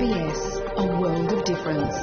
S B S, a world of difference.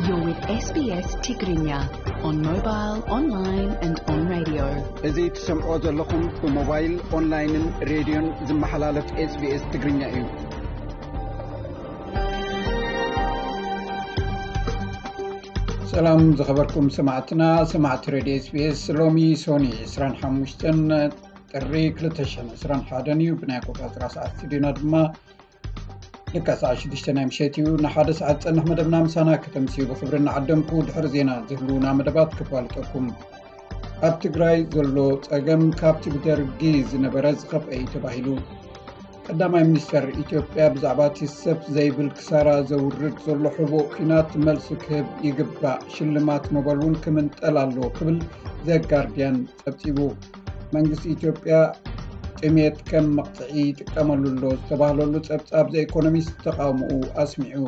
You're with S B S Tigrinya on mobile, online and on radio. እዚ ትሰምዖ ዘለኹም ብሞባይል፣ ኦንላይንን ሬድዮን ዝመሓላለፍ S B S ትግርኛ እዩ። ሰላም ዝኸበርኩም ሰማዕትና፣ ሰማዕቲ ሬድዮ S B S፣ ሎሚ ሶኒ ዕስራን ሓሙሽተን ጥሪ ክልተ ሽሕን ዕስራን ሓደን እዩ። ብናይ ኣቆጻጽራ ሰዓት ስቱዲዮና ድማ ልካ ሰዓት ሽዱሽተ ናይ ምሸት እዩ። ንሓደ ሰዓት ዝጸንሕ መደብና ምሳና ከተምስዩ ብኽብሪ እናዓደምኩ፣ ድሕሪ ዜና ዝህልዉና መደባት ክፋልጠኩም። ኣብ ትግራይ ዘሎ ጸገም ካብቲ ብደርጊ ዝነበረ ዝኸፍአ እዩ ተባሂሉ። ቀዳማይ ሚኒስተር ኢትዮጵያ ብዛዕባ እቲ ሰብ ዘይብል ክሳራ ዘውርድ ዘሎ ሕቡእ ኲናት መልሲ ክህብ ይግባእ፣ ሽልማት ኖበል እውን ክምንጠል ኣለዎ ክብል ዘጋርድያን ጸብጺቡ። መንግስቲ ኢትዮጵያ ጥሜት ከም መቕጽዒ ይጥቀመሉ ኣሎ ዝተባህለሉ ጸብጻብ ዘ ኢኮኖሚስት ተቓውሞኡ ኣስሚዑ።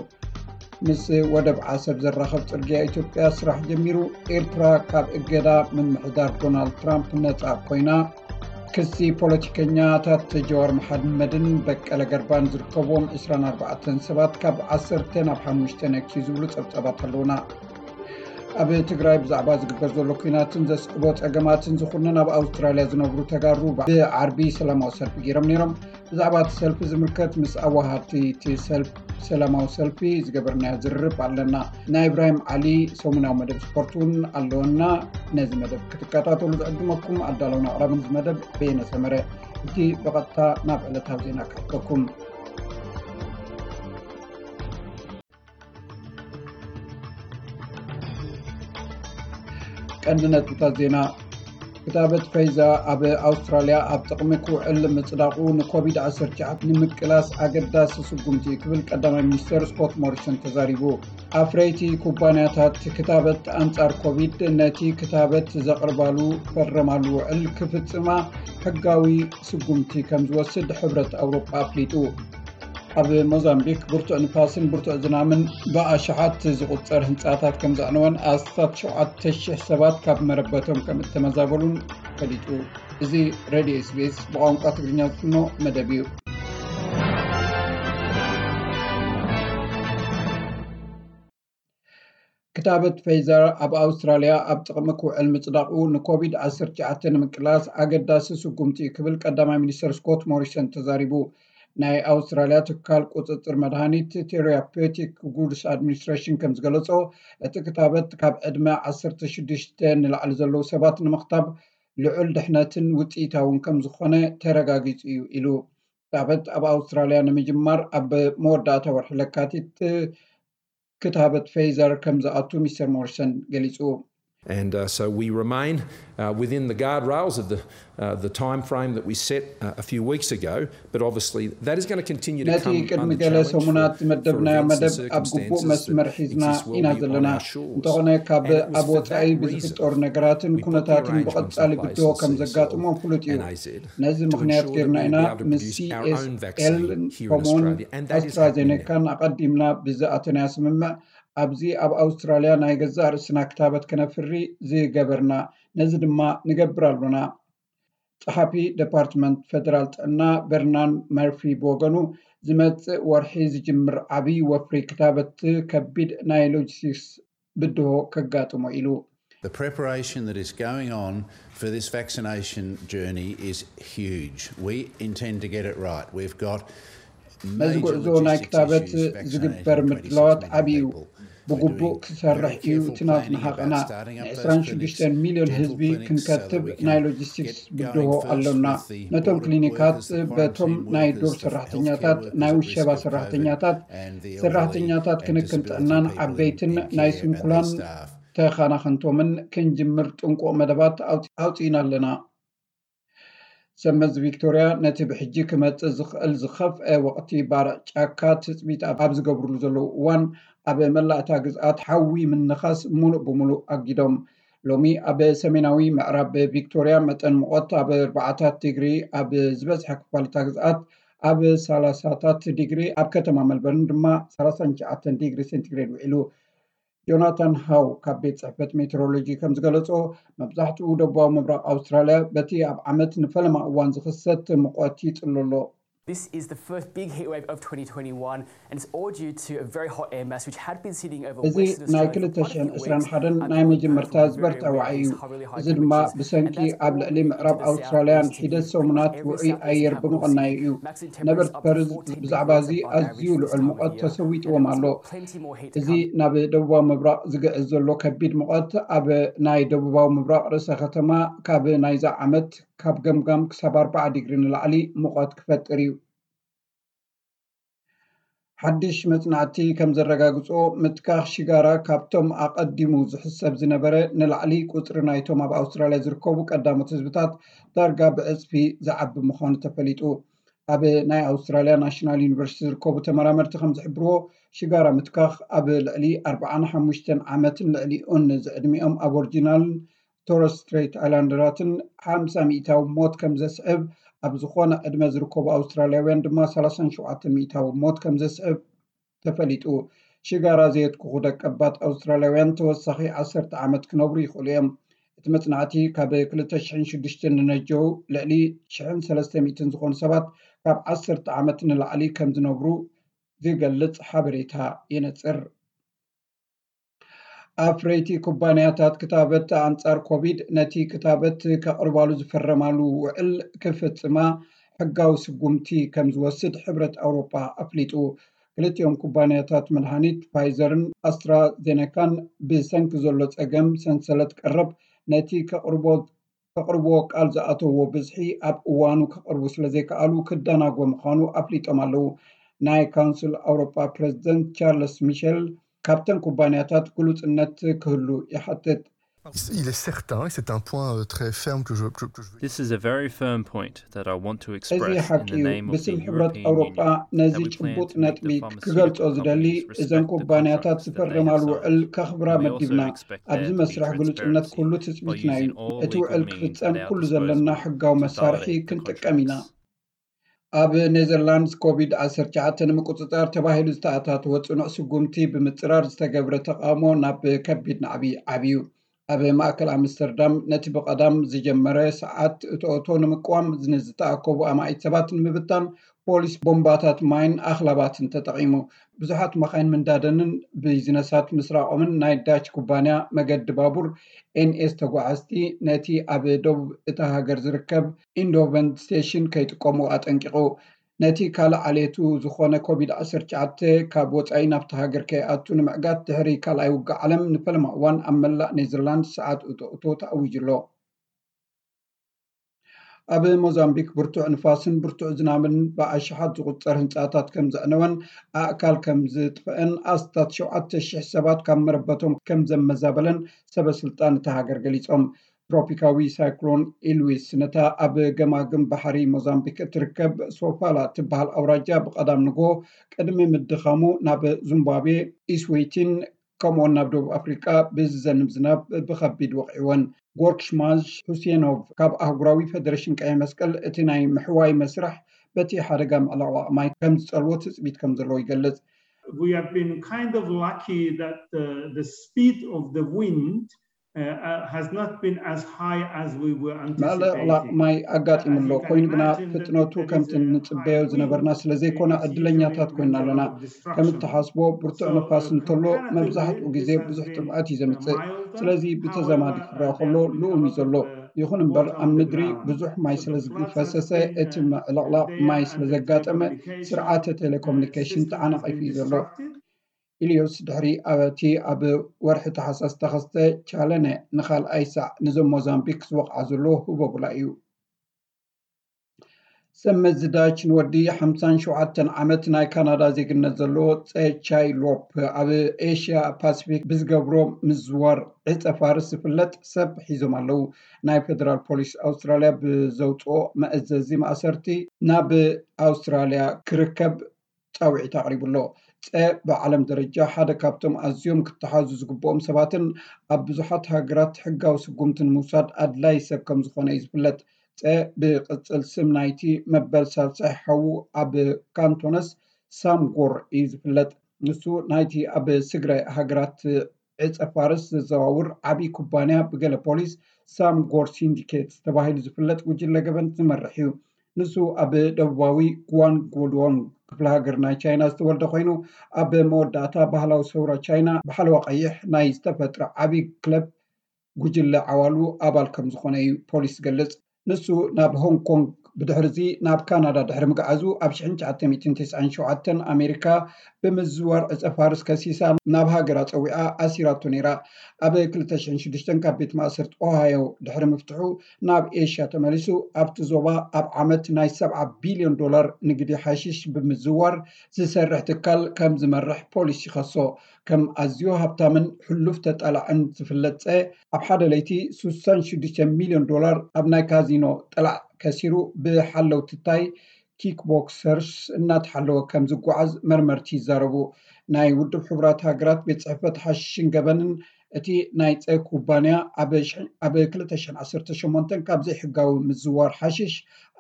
ምስ ወደብ ዓሰብ ዘራኸብ ጽርግያ ኢትዮጵያ ስራሕ ጀሚሩ። ኤርትራ ካብ እገዳ ምምሕዳር ዶናልድ ትራምፕ ነጻ ኮይና። ክሲ ፖለቲከኛታት ጀዋር መሓመድን በቀለ ገርባን ዝርከብዎም ዕስራን ኣርባዕተን ሰባት ካብ ዓሰርተ ናብ ሓሙሽተ ነክዩ ዝብሉ ጸብጻባት ኣለውና። ኣብ ትግራይ ብዛዕባ ዝግበር ዘሎ ኲናትን ዘስዕቦ ጸገማትን ዝኹነን ኣብ ኣውስትራልያ ዝነብሩ ተጋሩ ብዓርቢ ሰላማዊ ሰልፊ ገይሮም ነይሮም። ብዛዕባ እቲ ሰልፊ ዝምልከት ምስ ኣዋሃድቲ እቲ ሰልፍ-፣ ሰላማዊ ሰልፊ ዝገበርናዮ ዝርርብ ኣለና። ናይ ኢብራሂም ዓሊ ሰሙናዊ መደብ ስፖርት እውን ኣለወና። ነዚ መደብ ክትከታተሉ ዝዕድመኩም ኣዳለውን ኣቕራብን እዚ መደብ በየነ ሰመረ። እቲ ብቐጥታ ናብ ዕለታዊ ዜና ክሕተኩም። ቀንዲ ነጥብታት ዜና። ክታበት ፋይዘር ኣብ ኣውስትራልያ ኣብ ጥቕሚ ክውዕል ምጽዳቑ ንኮቪድ ዓሰርተ ትሽዓተ ንምቅላስ ኣገዳሲ ስጉምቲ እዩ ክብል ቀዳማይ ሚኒስተር ስኮት ሞሪሰን ተዛሪቡ። ኣፍረይቲ ኩባንያታት ክታበት ኣንጻር ኮቪድ ነቲ ክታበት ዘቕርባሉ ፈረማሉ ውዕል ክፍጽማ ሕጋዊ ስጉምቲ ከም ዝወስድ ሕብረት ኣውሮጳ ኣፍሊጡ። ኣብ ሞዛምቢክ ብርቱዕ ንፋስን ብርቱዕ ዝናምን ብኣሽሓት ዝቑጸር ህንጻታት ከም ዘዕነወን ኣስታት ሸውዓተ ሽሕ ሰባት ካብ መረበቶም ከም እተመዛበሉን ፈሊጡ። እዚ ሬድዮ S B S ብቋንቋ ትግርኛ ዝፍኖ መደብ እዩ። ክታበት ፋይዘር ኣብ ኣውስትራልያ ኣብ ጥቕሚ ክውዕል ምጽዳቑ ንኮቪድ ዓሰርተ ትሽዓተ ንምቅላስ ኣገዳሲ ስጉምቲ እዩ ክብል ቀዳማይ ሚኒስተር ስኮት ሞሪሰን ተዛሪቡ። ናይ ኣውስትራልያ ትካል ቁጽጽር መድሃኒት ቴራፔቲክ ጉድስ ኣድሚኒስትሬሽን ከም ዝገለጾ፣ እቲ ክታበት ካብ ዕድመ ዓሰርተ ሽዱሽተ ንላዕሊ ዘለዉ ሰባት ንምኽታብ ልዑል ድሕነትን ውጽኢታውን ከም ዝኾነ ተረጋጊጹ እዩ ኢሉ። ክታበት ኣብ ኣውስትራልያ ንምጅማር ኣብ መወዳእታ ወርሒ ለካቲት ክታበት ፋይዘር ከም ዝኣቱ ሚስተር ሞሪሰን ገሊጹ። And uh, so we remain uh, within the guardrails of the, uh, the time frame that we set uh, a few weeks ago, but obviously that is going to continue to ነቲ come ቅድሚ under ገለ challenge ሰሙናት for ዝመደብናዮ events and መደብ ኣብ ግቡእ circumstances መስመር that ሒዝና exist well ኢና beyond ዘለና። Our shores. እንተኾነ ካብ And it was ኣብ for ወጻኢ that ብዝፍጠሩ reason ነገራትን we put the ኩነታትን arrangements ብቐጻሊ in place ብድሆ with ከም C S L ዘጋጥሞ ፍሉጥ እዩ። And A Z ነዚ to ምኽንያት ensure ጌርና that we ኢና would be able to ምስ produce our own C S L vaccine here in ከምኡውን Australia, and that is happening now. ኣስትራዜኔካን ኣቐዲምና ብዝኣተናዮ ስምምዕ ኣብዚ ኣብ ኣውስትራልያ ናይ ገዛእ ርእስና ክታበት ከነፍሪ ዝገበርና፣ ነዚ ድማ ንገብር ኣሎና። ጸሓፊ ደፓርትመንት ፈደራል ጥዕና በርናን መርፊ ብወገኑ፣ ዝመጽእ ወርሒ ዝጅምር ዓብዪ ወፍሪ ክታበት ከቢድ ናይ ሎጂስቲክስ ብድሆ ከጋጥሞ ኢሉ። The preparation that is going on for this vaccination journey is huge. We intend to get it right. We've got ነዚ ጉዕዞ ናይ ክታበት ዝግበር ምድላዋት ዓብዪ እዩ። ብግቡእ ክሰርሕ እዩ እቲ ናትና ሃቐና። ንዕስራን ሽዱሽተን ሚልዮን ህዝቢ ክንከትብ ናይ ሎጂስቲክስ ብድሆ ኣሎና። ነቶም ክሊኒካት በቶም ናይ ዱር ሰራሕተኛታት፣ ናይ ውሸባ ሰራሕተኛታት፣ ሰራሕተኛታት ክንክን ጥዕናን ዓበይትን ናይ ስንኩላን ተኻናኸንቶምን ክንጅምር ጥንቁቕ መደባት ኣውፅ-፣ ኣውፂእና ኣለና። ሰመዚ ቪክቶርያ ነቲ ብሕጂ ክመጽእ ዝኽእል ዝኸፍአ ወቕቲ ባርዕ ጫካ ትጽቢት ኣብ ዝገብርሉ ዘለዉ እዋን፣ ኣብ መላእ እታ ግዝኣት ሓዊ ምንኻስ ምሉእ ብምሉእ ኣጊዶም። ሎሚ ኣብ ሰሜናዊ ምዕራብ ቪክቶርያ መጠን ሙቐት ኣብ ኣርባዓታት ዲግሪ፣ ኣብ ዝበዝሐ ክፋል እታ ግዝኣት ኣብ ሰላሳታት ዲግሪ፣ ኣብ ከተማ መልበርን ድማ ሰላሳን ትሽዓተን ዲግሪ ሴንቲግሬድ ውዒሉ። ጆናታን ሃው ካብ ቤት ጽሕፈት ሜትሮሎጂ ከም ዝገለጾ፣ መብዛሕትኡ ደቡባዊ ምብራቕ ኣውስትራልያ በቲ ኣብ ዓመት ንፈለማ እዋን ዝኽሰት ሙቐት ይጽሎ ኣሎ። This is the first big heat wave of twenty twenty-one, and it's all due to a very hot air mass which had been sitting over እዚ ናይ ክልተ ሽሕን ዕስራን ሓደን ናይ መጀመርታ ዝበርትዐ ዋዒ እዩ። እዚ ድማ ብሰንኪ ኣብ ልዕሊ ምዕራብ ኣውስትራልያን ሒደት ሰሙናት ውዑይ ኣየር ብምቕናዩ እዩ። ነበርቲ ፐርዝ ብዛዕባ እዚ ኣዝዩ ልዑል ሙቐት ተሰዊጥዎም ኣሎ። እዚ ናብ ደቡባዊ ምብራቕ ዝግዕዝ ዘሎ ከቢድ ሙቐት ኣብ ናይ ደቡባዊ ምብራቕ ርእሰ ከተማ ካብ ናይዛ ዓመት ካብ ገምጋም ክሳብ ኣርባዓ ዲግሪ ንላዕሊ ሙቐት ክፈጥር እዩ። ሓድሽ መጽናዕቲ ከም ዘረጋግጾ፣ ምትካኽ ሽጋራ ካብቶም ኣቐዲሙ ዝሕሰብ ዝነበረ ንላዕሊ ቁጽሪ ናይቶም ኣብ ኣውስትራልያ ዝርከቡ ቀዳሞት ህዝብታት ዳርጋ ብዕጽፊ ዝዓቢ ምዃኑ ተፈሊጡ። ኣብ ናይ ኣውስትራልያ ናሽናል ዩኒቨርሲቲ ዝርከቡ ተመራመርቲ ከም ዝሕብርዎ፣ ሽጋራ ምትካኽ ኣብ ልዕሊ ኣርባዓን ሓሙሽተን ዓመትን ልዕሊኡን ዝዕድሚኦም ኣቦርጂናልን ቶረስ ስትሬት ኣይላንደራትን ሓምሳ ሚእታዊ ሞት ከም ዘስዕብ ኣብ ዝኾነ ዕድመ ዝርከቡ ኣውስትራልያውያን ድማ ሰላሳን ሸውዓተ ሚእታዊ ሞት ከም ዘስዕብ ተፈሊጡ። ሽጋራ ዘየትኩኹ ደቀባት ኣውስትራልያውያን ተወሳኺ ዓሰርተ ዓመት ክነብሩ ይኽእሉ እዮም። እቲ መጽናዕቲ ካብ ክልተ ሽሕን ሽዱሽተን ንነጀው ልዕሊ ሽሕን ሰለስተ ሚእትን ዝኾኑ ሰባት ካብ ዓሰርተ ዓመት ንላዕሊ ከም ዝነብሩ ዝገልጽ ሓበሬታ የነጽር። ኣፍረይቲ ኩባንያታት ክታበት ኣንጻር ኮቪድ ነቲ ክታበት ከቕርባሉ ዝፈረማሉ ውዕል ክፍጽማ ሕጋዊ ስጉምቲ ከም ዝወስድ ሕብረት ኣውሮጳ ኣፍሊጡ። ክልቲኦም ኩባንያታት መድሃኒት ፋይዘርን ኣስትራዜነካን ብሰንኪ ዘሎ ጸገም ሰንሰለት ቀረብ ነቲ ከቕርቦ ከቕርብዎ ቃል ዝኣተውዎ ብዝሒ ኣብ እዋኑ ከቕርቡ ስለ ዘይከኣሉ ክደናጎ ምዃኑ ኣፍሊጦም ኣለዉ። ናይ ካውንስል ኣውሮጳ ፕረዚደንት ቻርለስ ሚሸል ካብተን ኩባንያታት ግሉጽነት ክህሉ ይሓትት። Il est certain, et c'est un point euh, très ferme que je, que, que je veux This is a very firm point that I want to እዚ express in ሓቂ the እዩ። name of the ብስም ሕብረት European ኣውሮጳ Union ነዚ that we plan ጭቡጥ to make ነጥቢ the ክገልጾ pharmaceutical ዝደሊ companies እዘን respect the ኩባንያታት contracts that they ዝፈረማሉ have ውዕል signed. ከኽብራ And we መዲብና also expect ኣብዚ there to መስርሕ be ግሉጽነት transparency ኩሉ by ትጽቢትና እዩ። using all እቲ legal ውዕል means ክፍጸም at our ኩሉ ዘለና disposal ሕጋዊ to መሳርሒ validate the ክንጥቀም ኢና። contracts. ኣብ ኔዘርላንድስ ኮቪድ ዓሰርተ ትሽዓተ ንምቁጽጻር ተባሂሉ ዝተኣታተወ ጽኑዕ ስጉምቲ ብምጽራር ዝተገብረ ተቓውሞ ናብ ከቢድ ናዕቢ ዓብዩ። ኣብ ማእከል ኣምስተርዳም ነቲ ብቐዳም ዝጀመረ ሰዓት እቶእቶ ንምቅዋም ንዝተኣከቡ ኣማኢት ሰባት ንምብታን ፖሊስ ቦምባታት ማይን ኣኽላባትን ተጠቒሙ። ብዙሓት መኻይን ምንዳደንን ቢዝነሳት ምስራቖምን ናይ ዳች ኩባንያ መገዲ ባቡር ኤንኤስ ተጓዓዝቲ ነቲ ኣብ ደቡብ እታ ሃገር ዝርከብ ኢንዶቨንት ስቴሽን ከይጥቀሙ ኣጠንቂቑ። ነቲ ካልእ ዓሌቱ ዝኾነ ኮቪድ ዓሰርተ ትሽዓተ ካብ ወጻኢ ናብቲ ሃገር ከይኣቱ ንምዕጋት ድሕሪ ካልኣይ ውግእ ዓለም ንፈለማ እዋን ኣብ መላእ ኔዘርላንድ ሰዓት እቶእቶ ተኣዊጁ ኣሎ። ኣብ ሞዛምቢክ ብርቱዕ ንፋስን ብርቱዕ ዝናብን ብኣሽሓት ዝቑጸር ህንጻታት ከም ዘዕነወን ኣእካል ከም ዝጥፍአን ኣስታት ሸውዓተ ሽሕ ሰባት ካብ መረበቶም ከም ዘመዛበለን ሰበ ስልጣን እታ ሃገር ገሊጾም። ትሮፒካዊ ሳይክሎን ኢልዊስ ነታ ኣብ ገማግም ባሕሪ ሞዛምቢክ እትርከብ ሶፋላ እትበሃል ኣውራጃ ብቐዳም ንግሆ ቅድሚ ምድኻሙ ናብ ዙምባብዌ፣ ኢስዊቲን ከምኡውን ናብ ደቡብ ኣፍሪቃ ብዝዘንብ ዝናብ ብኸቢድ ወቒዕወን። ጎርክሽማሽ ሁሴኖቭ ካብ ኣህጉራዊ ፈደረሽን ቀይሕ መስቀል እቲ ናይ ምሕዋይ መስርሕ በቲ ሓደጋ ምዕልቕላቕ ማይ ከም ዝጸልዎ ትጽቢት ከም ዘለዎ ይገልጽ። We have been kind of lucky that the, the speed of the wind uh, uh, has not been as high as we were ምዕልቕላቕ anticipating. ማይ ኣጋጢሙ ኣሎ። ኮይኑ ግና ፍጥነቱ ከምቲ እንጽበዮ ዝነበርና ስለ ዘይኮነ ዕድለኛታት ኮይና ኣለና። ከም እትሓስቦ ብርቱዕ ንፋስ እንተሎ መብዛሕትኡ ግዜ ብዙሕ ጥፍኣት እዩ ዘምጽእ። ስለዚ ብተዛማዲ ክረኣ ከሎ ልኡም እዩ ዘሎ። ይኹን እምበር ኣብ ምድሪ ብዙሕ ማይ ስለ ዝፈሰሰ እቲ ምዕልቕላቕ ማይ ስለ ዘጋጠመ ስርዓተ ቴሌኮሙኒኬሽን ተዓናቒፉ እዩ ዘሎ። ኢልዮስ ድሕሪ ኣብቲ ኣብ ወርሒ ታሕሳስ ዝተኸስተ ቻለነ ንኻልኣይ ሳዕ ንዞም ሞዛምቢክ ዝወቕዓ ዘሎ ህቦብላ እዩ። ሰብ መዚ ዳች ንወዲ ሓምሳን ሸውዓተን ዓመት ናይ ካናዳ ዜግነት ዘለዎ ጸ ቻይ ሎፕ ኣብ ኤሽያ ፓሲፊክ ብዝገብሮ ምዝዋር ዕጸ ፋርስ ዝፍለጥ ሰብ ሒዞም ኣለዉ። ናይ ፌደራል ፖሊስ ኣውስትራልያ ብዘውፅኦ መእዘዚ ማእሰርቲ ናብ ኣውስትራልያ ክርከብ ፃውዒት ኣቕሪቡ ኣሎ። ፀ ብዓለም ደረጃ ሓደ ካብቶም ኣዝዮም ክተሓዙ ዝግብኦም ሰባትን ኣብ ብዙሓት ሃገራት ሕጋዊ ስጉምቲ ንምውሳድ ኣድላይ ሰብ ከም ዝኾነ እዩ ዝፍለጥ። ፀ ብቅፅል ስም ናይቲ መበል ሳልሳይ ሓዉ ኣብ ካንቶነስ ሳምጎር እዩ ዝፍለጥ። ንሱ ናይቲ ኣብ ስግረ ሃገራት ዕፀ ፋርስ ዘዘዋውር ዓብዪ ኩባንያ ብገለ ፖሊስ ሳምጎር ሲንዲኬት ተባሂሉ ዝፍለጥ ጉጅለ ገበን ዝመርሕ እዩ። ንሱ ኣብ ደቡባዊ ጓንጉዶንግ ክፍለ ሃገር ናይ ቻይና ዝተወልደ ኮይኑ፣ ኣብ መወዳእታ ባህላዊ ሰውራ ቻይና ብሓለዋ ቀይሕ ናይ ዝተፈጥረ ዓቢ ክለብ ጉጅለ ዓዋሉ ኣባል ከም ዝኾነ እዩ ፖሊስ ዝገልጽ። ንሱ ናብ ሆንግ ኮንግ፣ ብድሕርዚ ናብ ካናዳ ድሕሪ ምግዓዙ፣ ኣብ ሽሕን ትሽዓተ ሚእትን ተስዓን ሸውዓተን ኣሜሪካ ብምዝዋር ዕጸ ፋርስ ከሲሳ ናብ ሃገራ ጸዊዓ ኣሲራቶ ነይራ። ኣብ ክልተ ሽሕን ሽዱሽተን ካብ ቤት ማእሰርቲ ኦሃዮ ድሕሪ ምፍትሑ ናብ ኤሽያ ተመሊሱ፣ ኣብቲ ዞባ ኣብ ዓመት ናይ ሰብዓ ቢልዮን ዶላር ንግዲ ሓሽሽ ብምዝዋር ዝሰርሕ ትካል ከም ዝመርሕ ፖሊስ ይኸሶ። ከም ኣዝዩ ሃብታምን ሕሉፍ ተጣላዕን ዝፍለጥ ጸ፣ ኣብ ሓደ ለይቲ ስሳን ሽዱሽተ ሚልዮን ዶላር ኣብ ናይ ካዚኖ ጠላዕ ከሲሩ ብሓለውቲ ታይ ኪክቦክሰርስ እናተሓለወ ከም ዝጓዓዝ መርመርቲ ይዛረቡ። ናይ ውድብ ሕቡራት ሃገራት ቤት ጽሕፈት ሓሽሽን ገበንን፣ እቲ ናይ ጸ ኩባንያ ኣብ ሽሕ-፣ ኣብ ክልተ ሽሕን ዓሰርተ ሸሞንተን ካብ ዘይሕጋዊ ምዝዋር ሓሽሽ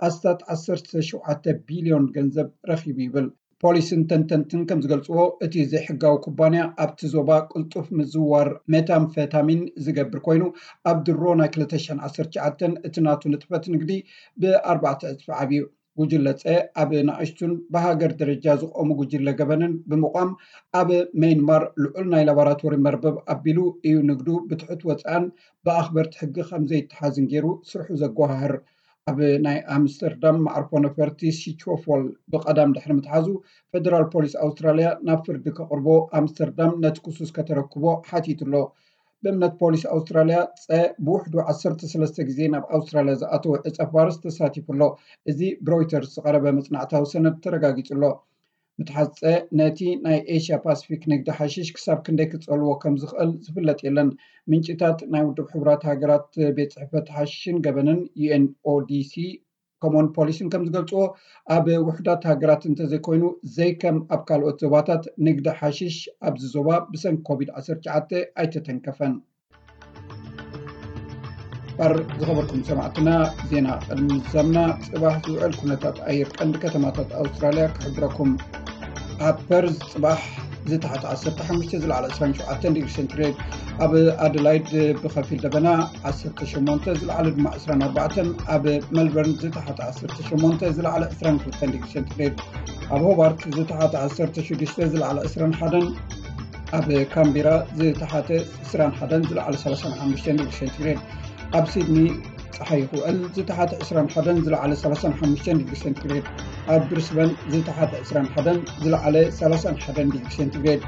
ኣስታት ዓሰርተ ሸውዓተ ቢልዮን ገንዘብ ረኺቡ ይብል። ፖሊስን ተንተንትን ከም ዝገልጽዎ፣ እቲ ዘይሕጋዊ ኩባንያ ኣብቲ ዞባ ቅልጡፍ ምዝዋር ሜታምፌታሚን ዝገብር ኮይኑ፣ ኣብ ድሮ ናይ ክልተ ሽሕን ዓሰርተ ትሽዓተን እቲ ናቱ ንጥፈት ንግዲ ብኣርባዕተ ዕጽፊ ዓብዩ። ጉጅለ ጸ ኣብ ንኣሽቱን ብሃገር ደረጃ ዝቖሙ ጉጅለ ገበንን ብምቋም፣ ኣብ ሜይንማር ልዑል ናይ ላቦራቶሪ መርበብ ኣቢሉ እዩ ንግዱ ብትሑት ወጻእን ብኣኽበርቲ ሕጊ ከም ዘይተሓዝን ገይሩ ስርሑ ዘጓሃህር። ኣብ ናይ ኣምስተርዳም መዓርፎ ነፈርቲ ሲቾፎል ብቐዳም ድሕሪ ምትሓዙ፣ ፌደራል ፖሊስ ኣውስትራልያ ናብ ፍርዲ ከቕርቦ ኣምስተርዳም ነቲ ክሱስ ከተረክቦ ሓቲቱ ኣሎ። ብእምነት ፖሊስ ኣውስትራልያ፣ ጸ ብውሕዱ ዓሰርተ ሰለስተ ግዜ ናብ ኣውስትራልያ ዝኣተወ ዕጸ ፋርስ ተሳቲፉ ኣሎ። እዚ ብሮይተርስ ዝቐረበ መጽናዕታዊ ሰነድ ተረጋጊጹ ኣሎ። ምትሓዝ ጸ ነቲ ናይ ኤሽያ ፓሲፊክ ንግዲ ሓሽሽ ክሳብ ክንደይ ክጸልዎ ከም ዝኽእል ዝፍለጥ የለን። ምንጭታት ናይ ውድብ ሕቡራት ሃገራት ቤት ጽሕፈት ሓሽሽን ገበንን፣ ዩ ኤን ኦ ዲ ሲ፣ ከምኡውን ፖሊስን ከም ዝገልጽዎ፣ ኣብ ውሑዳት ሃገራት እንተዘይኮይኑ፣ ዘይከም ኣብ ካልኦት ዞባታት፣ ንግዲ ሓሽሽ ኣብዚ ዞባ ብሰንኪ ኮቪድ ዓሰርተ ትሽዓተ ኣይተተንከፈን። ባር ዝኸበርኩም ሰማዕትና፣ ዜና ቅድሚ ምዛምና፣ ጽባሕ ዝውዕል ኩነታት ኣየር ቀንዲ ከተማታት ኣውስትራልያ ክሕብረኩም። ኣብ ፐርዝ ጽባሕ ዝተሓተ ዓሰርተ ሓሙሽተ፣ ዝለዓለ ዕስራን ሸውዓተን ዲግሪ ሴንቲግሬድ፣ ኣብ ኣደላይድ ብኸፊል ደበና ዓሰርተ ሸሞንተ፣ ዝለዓለ ድማ ዕስራን ኣርባዕተን፣ ኣብ መልበርን ዝተሓተ ዓሰርተ ሸሞንተ፣ ዝለዓለ ዕስራን ክልተን ዲግሪ ሴንቲግሬድ፣ ኣብ ሆባርት ዝተሓተ ዓሰርተ ሽዱሽተ፣ ዝለዓለ ዕስራን ሓደን፣ ኣብ ካምቢራ ዝተሓተ ዕስራን ሓደን፣ ዝለዓለ ሰላሳን ሓሙሽተን ዲግሪ ሴንቲግሬድ፣ ኣብ ሲድኒ ጸሓይ ክውዕል፣ ዝተሓተ ዕስራን ሓደን፣ ዝለዓለ ሰላሳን ሓሙሽተን ዲግሪ ሴንቲግሬድ፣ ኣብ ብሪስበን ዝተሓተ ዕስራን ሓደን፣ ዝለዓለ ሰላሳን ሓደን ዲግሪ ሴንቲግሬድ፣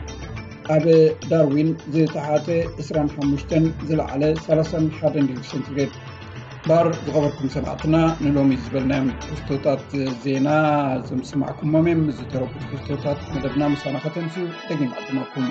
ኣብ ዳርዊን ዝተሓተ ዕስራን ሓሙሽተን፣ ዝለዓለ ሰላሳን ሓደን ዲግሪ ሴንቲግሬድ። ባር ዝኸበርኩም ሰማዕትና፣ ንሎሚ ዝበልናዮም ትሕዝቶታት ዜና እዞም ዝሰማዕኩሞም እዮም። ዝተረፉ ትሕዝቶታት መደብና ምሳና ከተምስዩ ደጊም ዕድመኩም።